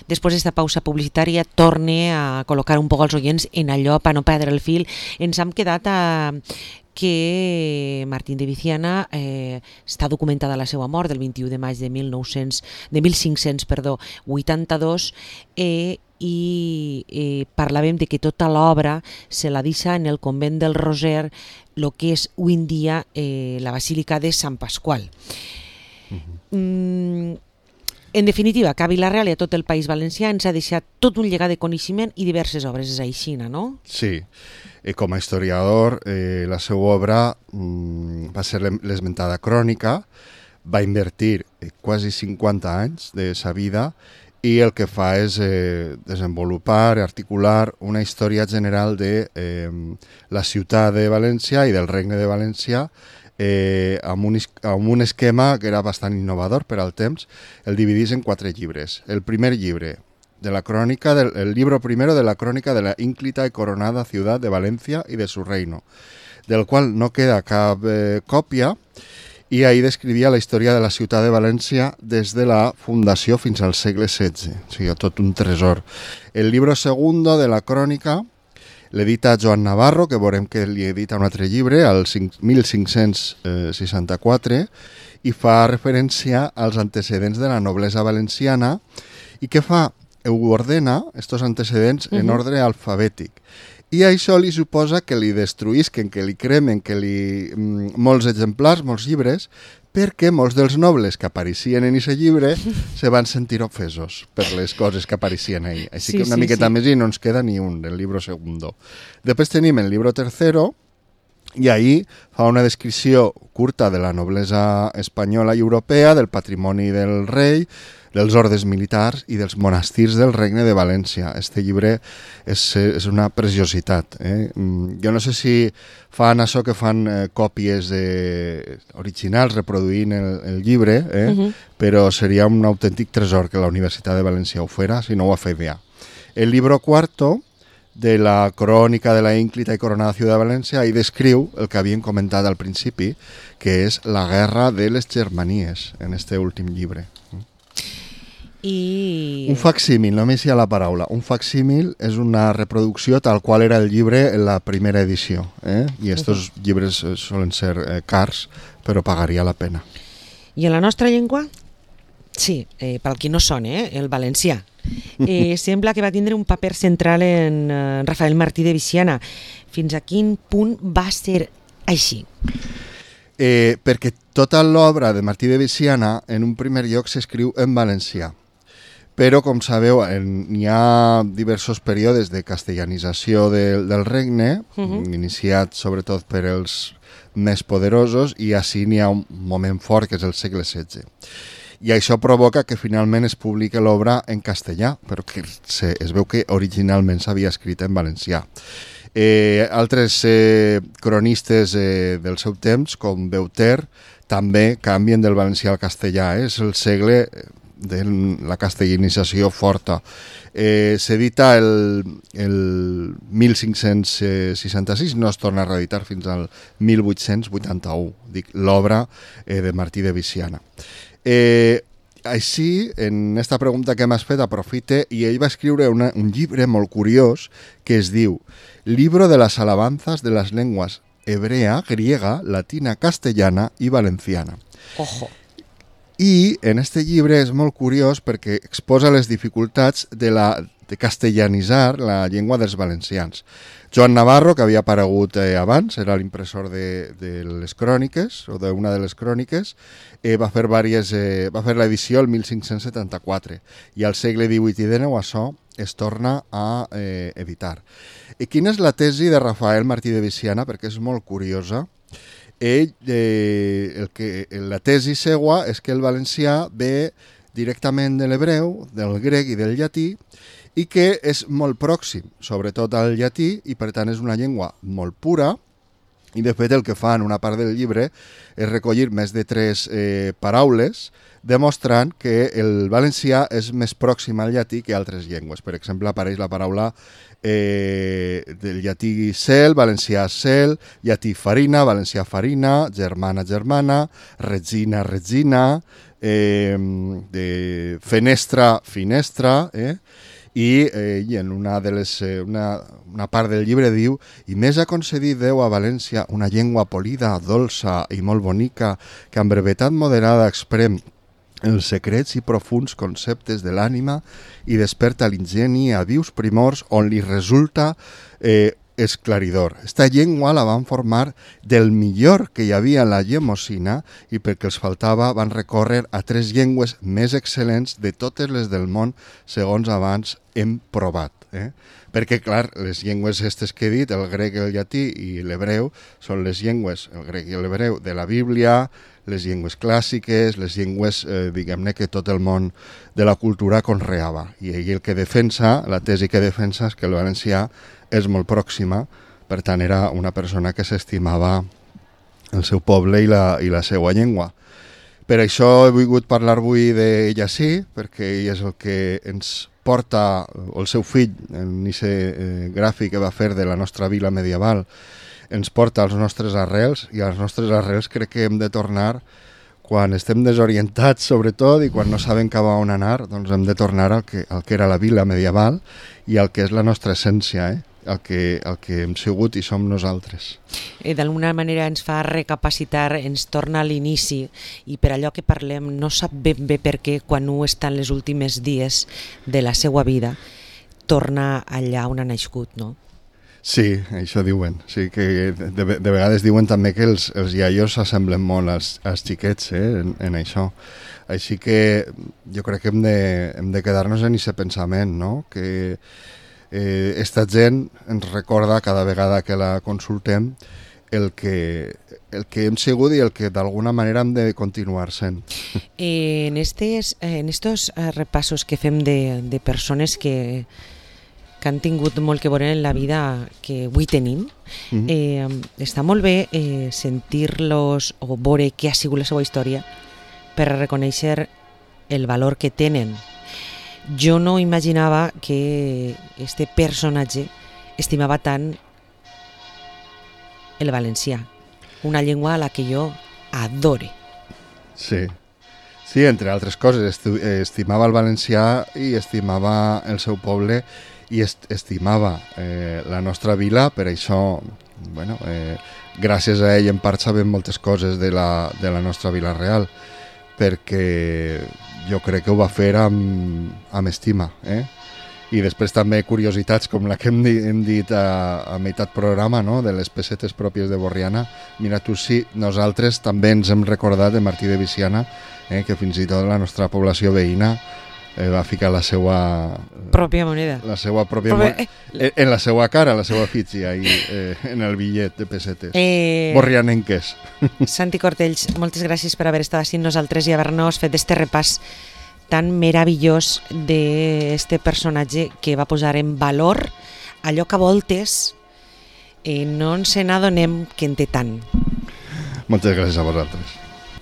Després d'esta pausa publicitària torne a col·locar un poc els oients en allò per no perdre el fil. Ens hem quedat que Martín de Viciana està documentada la seva mort del 21 de maig de 1582 i parlàvem de que tota l'obra se la deixa en el convent del Roser, el que és avui en dia la Basílica de Sant Pasqual. En definitiva, que a Vila-real i a tot el País Valencià ens ha deixat tot un llegat de coneixement i diverses obres, és així, no? Sí, com a historiador, la seva obra va ser l'esmentada crònica, va invertir quasi 50 anys de sa vida i el que fa és desenvolupar, articular una història general de la ciutat de València i del Regne de València amb un esquema que era bastant innovador per al temps. El dividís en 4 llibres. El primer llibre, el libro primero de la crónica de la ínclita y coronada ciudad de Valencia y de su reino, del cual no queda cap còpia, i ahí descrivia la història de la ciutat de València des de la fundació fins al segle XVI, o sigui, tot un tresor. El libro segundo de la crònica l'edita Joan Navarro, que veurem que li edita un altre llibre, al 1564, i fa referència als antecedents de la noblesa valenciana i que fa, ho ordena, estos antecedents, en ordre alfabètic. I això li suposa que li destruïsquen, que li cremen, que molts exemplars, molts llibres, perquè molts dels nobles que apareixien en aquest llibre se van sentir ofesos per les coses que apareixien ahí. Així que una miqueta més i no ens queda ni un del llibre segundo. Després tenim el llibre tercero, i ahí fa una descripció curta de la noblesa espanyola i europea, del patrimoni del rei, dels ordes militars i dels monestirs del Regne de València. Este llibre és una preciositat. Jo no sé si fan això que fan còpies originals reproduint el llibre, però seria un autèntic tresor que la Universitat de València ho fera, si no ho ha fet ja. El libro cuarto de la crònica de la ínclita i coronada ciutat de València i descriu el que havíem comentat al principi, que és la guerra de les Germanies, en este últim llibre. Un facsímil, només hi ha la paraula. Un facsímil és una reproducció tal qual era el llibre en la primera edició. I estos llibres solen ser cars, però pagaria la pena. I en la nostra llengua? Sí, pel qui no sona, el valencià. Sembla que va tindre un paper central en Rafael Martí de Viciana. Fins a quin punt va ser així? Perquè tota l'obra de Martí de Viciana en un primer lloc s'escriu en valencià. Però, com sabeu, hi ha diversos períodes de castellanització del regne, iniciat sobretot per els més poderosos, i així n'hi ha un moment fort, que és el segle XVI. I això provoca que finalment es publiqui l'obra en castellà, però que es veu que originalment s'havia escrit en valencià. Altres cronistes del seu temps, com Beuter, també canvien del valencià al castellà. És el segle de la castellanització forta. S'edita el 1566, no es torna a reeditar fins al 1881, dic l'obra de Martí de Viciana. Així, en aquesta pregunta que m'has fet, aprofite, i ell va escriure un llibre molt curiós que es diu Libro de las alabanzas de las lenguas hebrea, griega, latina, castellana i valenciana. Ojo! I en este llibre és molt curiós perquè exposa les dificultats de castellanitzar la llengua dels valencians. Joan Navarro, que havia aparegut abans, era l'impressor de les cròniques, o d'una de les cròniques, va fer l'edició el 1574, i al segle XVIII i XIX això es torna a editar. I quina és la tesi de Rafael Martí de Viciana? Perquè és molt curiosa. La tesi seua és que el valencià ve directament de l'hebreu, del grec i del llatí, i que és molt pròxim, sobretot al llatí, i per tant és una llengua molt pura, i de fet el que fa en una part del llibre és recollir més de 3 paraules, demostrant que el valencià és més pròxim al llatí que altres llengües. Per exemple, apareix la paraula del llatí cel, valencià cel, llatí farina, valencià farina, germana, germana, regina, regina, de fenestra, finestra, i en una part del llibre diu: i més ha concedit Déu a València una llengua polida, dolça i molt bonica, que amb brevetat moderada exprem els secrets i profuns conceptes de l'ànima i desperta l'ingeni a vius primors on li resulta esclaridor. Esta llengua la van formar del millor que hi havia en la llemosina i perquè els faltava van recórrer a 3 llengües més excel·lents de totes les del món, segons abans hem provat. Perquè, clar, les llengües aquestes que he dit, el grec, el llatí i l'hebreu, són les llengües, el grec i l'hebreu, de la Bíblia, les llengües clàssiques, les llengües, diguem-ne, que tot el món de la cultura conreava. I ell el que defensa, la tesi que defensa és que el valencià és molt pròxima, per tant era una persona que s'estimava el seu poble i la seva llengua. Per això he volgut parlar avui d'ell així, perquè ell és el que ens porta, o el seu fill, en aquest gràfic que va fer de la nostra vila medieval, ens porta als nostres arrels, i als nostres arrels crec que hem de tornar quan estem desorientats, sobretot, i quan no sabem cap a on anar, doncs hem de tornar al que era la vila medieval i al que és la nostra essència, el que hem sigut i som nosaltres. D'alguna manera ens fa recapacitar, ens torna a l'inici, i per allò que parlem no sap ben bé per què quan un està en les últimes dies de la seva vida torna allà on ha nascut, no? Sí, això diuen. Sí, que de vegades diuen també que els iaios s'assemblen molt als xiquets en això. Així que jo crec que hem de quedar-nos en aquest pensament, no? Que esta gent ens recorda cada vegada que la consultem el que hem sigut i el que d'alguna manera hem de continuar sent. En estos repassos que fem de persones que han tingut molt que veure en la vida que avui tenim, està molt bé sentir-los o veure què ha sigut la seva història per reconèixer el valor que tenen. Jo no imaginava que este personatge estimava tant el valencià, una llengua a la que jo adore. Sí, entre altres coses, estimava el valencià i estimava el seu poble i estimava la nostra vila, per això, gràcies a ell en part sabem moltes coses de la nostra vila real, perquè jo crec que ho va fer amb estima. I després també curiositats com la que hem dit a meitat programa, no? De les pessetes pròpies de Borriana. Mira tu, sí, nosaltres també ens hem recordat de Martí de Viciana, que fins i tot la nostra població veïna va ficar la seva pròpia moneda, en la seva cara, la seva fitxa, en el bitllet de pessetes borrianenques. Santi Cortells, moltes gràcies per haver estat així amb nosaltres i haver-nos fet este repàs tan meravellós d'este personatge que va posar en valor allò que a voltes no ens n'adonem que en té tant. Moltes gràcies a vosaltres.